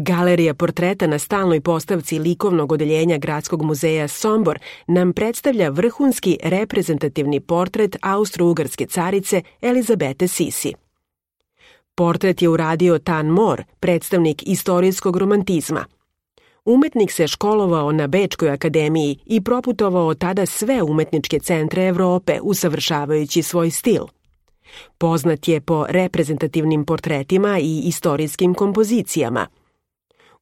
Galerija portreta na stalnoj postavci likovnog odeljenja Gradskog muzeja Sombor nam predstavlja vrhunski reprezentativni portret austro-ugarske carice Elizabete Sisi. Portret je uradio Tan More, predstavnik istorijskog romantizma. Umetnik se školovao na Bečkoj akademiji i proputovao tada sve umetničke centre Evrope, usavršavajući svoj stil. Poznat je po reprezentativnim portretima i istorijskim kompozicijama.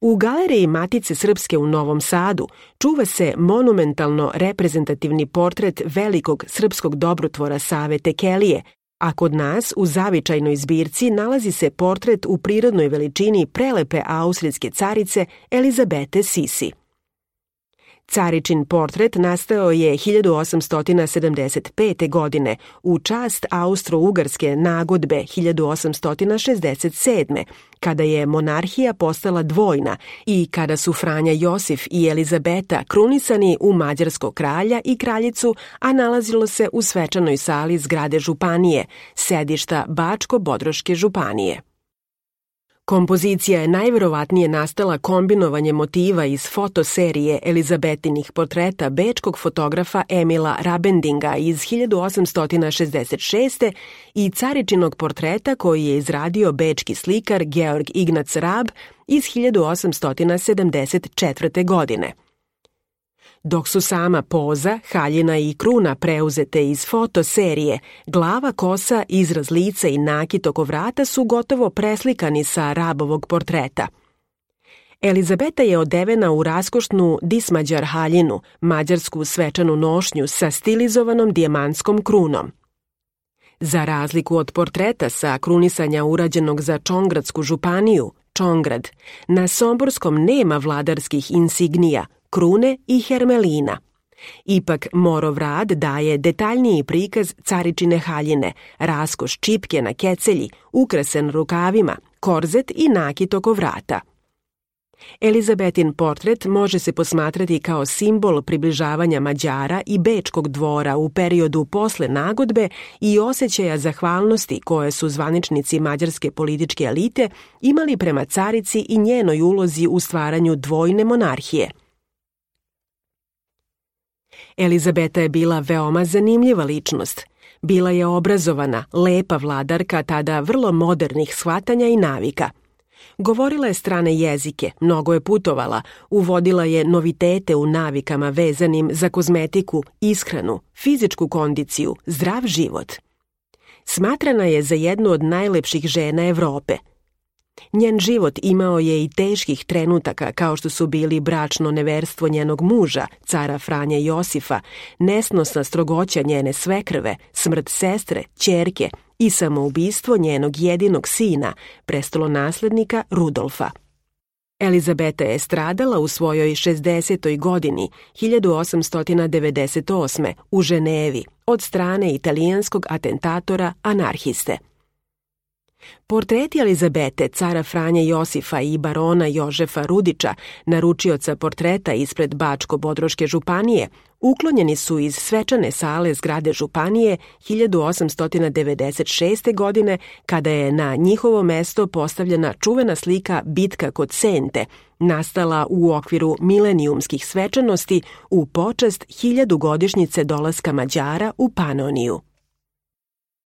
U Galeriji Matice Srpske u Novom Sadu čuva se monumentalno reprezentativni portret velikog srpskog dobrotvora Save Tekelije, a kod nas u zavičajnoj zbirci nalazi se portret u prirodnoj veličini prelepe austrijske carice Elizabete Sisi. Caričin portret nastao je 1875. godine u čast austro-ugarske nagodbe 1867. kada je monarhija postala dvojna i kada su Franja Josif i Elizabeta krunisani u mađarskog kralja i kraljicu, a nalazilo se u svečanoj sali zgrade županije, sedišta Bačko-Bodroške županije. Kompozicija je najverovatnije nastala kombinovanjem motiva iz fotoserije Elizabetinih portreta bečkog fotografa Emila Rabendinga iz 1866. i caričinog portreta koji je izradio bečki slikar Georg Ignac Rab iz 1874. godine. Dok su sama poza, haljina i kruna preuzete iz fotoserije, glava, kosa, izraz lica i nakit oko vrata su gotovo preslikani sa Rabovog portreta. Elizabeta je odevena u raskošnu dismađar haljinu, mađarsku svečanu nošnju sa stilizovanom dijamantskom krunom. Za razliku od portreta sa krunisanja urađenog za Čongradsku županiju, Čongrad, na somborskom nema vladarskih insignija, krune i hermelina. Ipak Morov rad daje detaljniji prikaz caričine haljine, raskoš čipke na kecelji, ukrasen rukavima, korzet i nakit oko vrata. Elizabetin portret može se posmatrati kao simbol približavanja Mađara i bečkog dvora u periodu posle nagodbe i osjećaja zahvalnosti koje su zvaničnici mađarske političke elite imali prema carici i njenoj ulozi u stvaranju dvojne monarhije. Elizabeta je bila veoma zanimljiva ličnost. Bila je obrazovana, lepa vladarka tada vrlo modernih shvatanja i navika. Govorila je strane jezike, mnogo je putovala, uvodila je novitete u navikama vezanim za kozmetiku, ishranu, fizičku kondiciju, zdrav život. Smatrana je za jednu od najlepših žena Evrope. Njen život imao je i teških trenutaka kao što su bili bračno neverstvo njenog muža, cara Franje Josifa, nesnosna strogoća njene svekrve, smrt sestre, ćerke i samoubistvo njenog jedinog sina, prestolonaslednika Rudolfa. Elizabeta je stradala u svojoj 60. godini 1898. u Ženevi od strane italijanskog atentatora anarhiste. Portreti Elizabete, cara Franje Josifa i barona Jožefa Rudića, naručioca portreta ispred Bačko-Bodroške županije, uklonjeni su iz svečane sale zgrade županije 1896. godine, kada je na njihovo mesto postavljena čuvena slika Bitka kod Sente, nastala u okviru milenijumskih svečanosti u počast 1000-godišnjice dolaska Mađara u Panoniju.